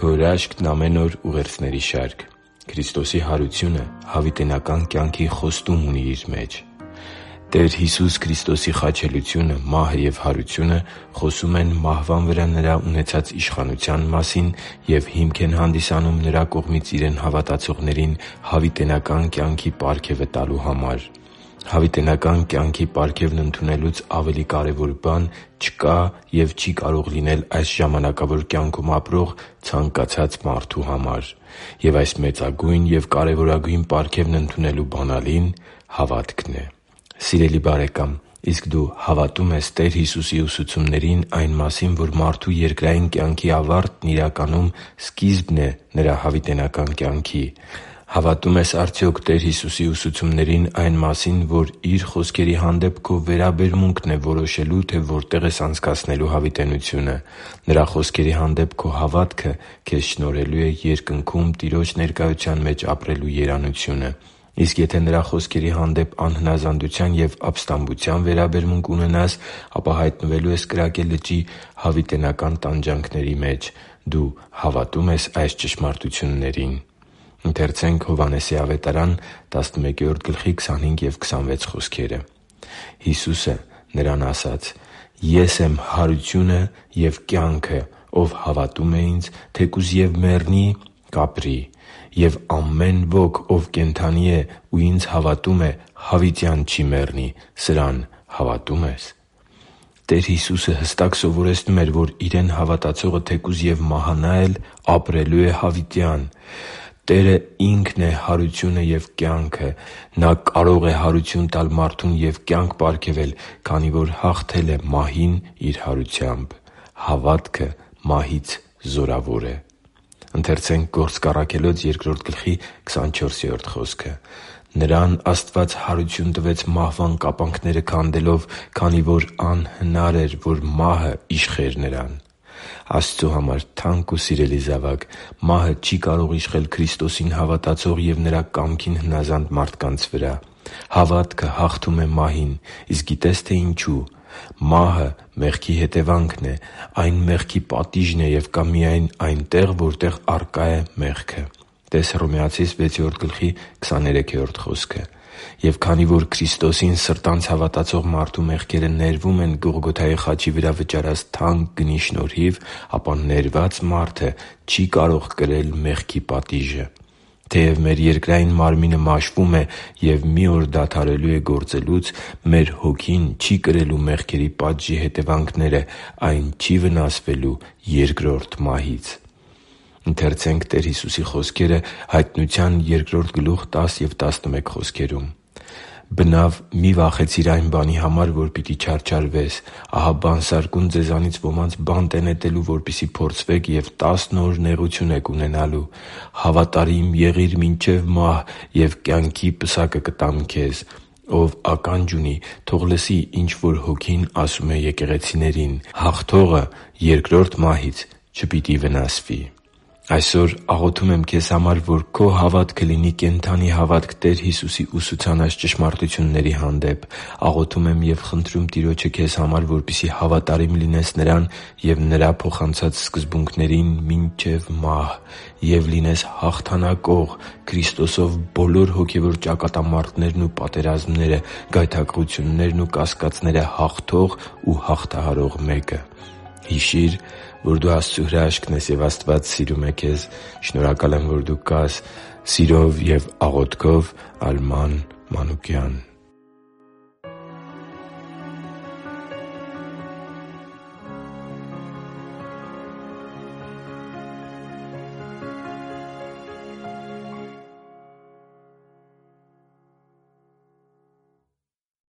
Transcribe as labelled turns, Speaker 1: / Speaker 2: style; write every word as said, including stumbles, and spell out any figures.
Speaker 1: Քո հրաշքն ամեն օր ուղերձների շարք։ Քրիստոսի հարությունը հավիտենական կյանքի խոստում ունի իր մեջ։ Տեր Հիսուս Քրիստոսի խաչելությունը, մահը և հարությունը խոսում են մահվան վրա Նրա ունեցած իշխանության մասին և հիմք են հանդիսանում Նրա կողմից Իրեն հավատացողներին հավիտենական կյանքի պարգևը տալու համար։ Հավիտենական կյանքի պարգևն ընդունելուց ավելի կարևոր բան չկա և չի կարող լինել այս ժամանակավոր կյանքում ապրող ցանկացած մարդու համար։ Եվ այս մեծագույն և կարևորագույն պարգևն ընդունելու բանալին հավատքն է։ Սիրելի՛ բարեկամ, իսկ դու հավատո՞ւմ ես Տեր Հիսուսի ուսուցումներին այն մասին, որ մարդու երկրային կյանքի ավարտն իրականում սկիզբն է նրա հավիտենական կյանքի։ Հավատո՞ւմ ես արդյոք Տեր Հիսուսի ուսուցումներին այն մասին, որ Իր խոսքերի հանդեպ քո վերաբերմունքն է որոշելու, թե որտե՛ղ ես անցկացնելու հավիտենությունը։ Նրա խոսքերի հանդեպ քո հավատքը քեզ շնորհելու է Երկնքում Տիրոջ ներկայության մեջ ապրելու երանությունը։ Իսկ եթե Նրա խոսքերի հանդեպ անհնազանդության և ապստամբության վերաբերմունք ունենաս, ապա հայտնվելու ես կրակե լճի հավիտենական տանջանքների մեջ։ Դու հավատո՞ւմ ես այս ճշմարտություններին։ Հիսուսը նրան ասաց. «Ես եմ հարությունը և կյանքը. ով հավատում է Ինձ, թեկուզ և մեռնի, կապրի։ Եվ ամեն ոք, ով կենդանի է ու Ինձ հավատում է, հավիտյան չի մեռնի։ Սրան հավատո՞ւմ ես»։ Տեր Հիսուսը հստակ սովորեցնում էր, որ Իրեն հավատացողը թեկուզ և մահանա էլ, ապրելու է հավիտյան։ Տերը Ինքն է հարությունը և կյանքը։ Նա կարող է հարություն տալ մարդուն և կյանք պարգևել, քանի որ հաղթել է մահին Իր հարությամբ։ Հավատքը մահից զորավոր է։ «Նրան Աստված հարություն տվեց մահվան կապանքները քանդելով, քանի որ անհնար էր, որ մահը իշխեր Նրան» (Գործք Առաքելոց երկրորդ գլխի քսանչորսերորդ խոսքը)։ Աստծու համար թանկ ու սիրելի՛ զավակ, մահը չի կարող իշխել Քրիստոսին հավատացող և Նրա կամքին հնազանդ մարդկանց վրա։ Հավատքը հաղթում է մահին։ Իսկ գիտե՞ս, թե ինչու։ Մահը մեղքի հետևանքն է։ Այն մեղքի պատիժն է և կա միայն այնտեղ, որտեղ առկա է մեղքը (տե՛ս Հռոմեացիս վեցերորդ գլխի քսաներեքերորդ խոսքը)։ Եվ քանի որ Քրիստոսին սրտանց հավատացող մարդու մեղքերը ներվում են Գողգոթայի խաչի վրա վճարած թանկ գնի շնորհիվ, ապա ներված մարդը չի կարող կրել մեղքի պատիժը։ Թեև մեր երկրային մարմինը մաշվում է և մի օր դադարելու է գործելուց, մեր հոգին չի կրելու մեղքերի պատժի հետևանքները։ Այն չի վնասվելու երկրորդ մահից։ «Բնավ մի՛ վախեցիր այն բանի համար, որ պիտի չարչարվես. ահա բանսարկում ձեզանից ոմանց բանտ է նետելու, որպեսզի փորձվեք, և տասն օր նեղություն եք ունենալու։ Հավատարի՛մ եղիր մինչև մահ, և կյանքի պսակը կտամ քեզ։ Ով ականջ ունի, թող լսի, ինչ որ Հոգին ասում է եկեղեցիներին. հաղթողը երկրորդ մահից չպիտի վնասվի» (Հովհաննես one one)։ Այսօր աղոթում եմ քեզ համար, որ քո հավատքը լինի կենդանի հավատք Տեր Հիսուսի ուսուցանած ճշմարտությունների հանդեպ։ Աղոթում եմ և խնդրում Տիրոջը քեզ համար, որպեսզի հավատարիմ լինես Նրան և Նրա փոխանցած սկզբունքներին մինչև մահ, և լինես հաղթանակող՝ Քրիստոսով բոլոր հոգևոր ճակատամարտերն ու պատերազմները, գայթակղություններն ու կասկածները հաղթող ու հաղթահարող մեկը։ Հիշի՛ր, որ դու Աստծո հրաշքն ես, և Աստված սիրում է քեզ։ Շնորհակալ եմ, որ դու կա՛ս։ Սիրով և աղոթքով, Արման Մանուկյան։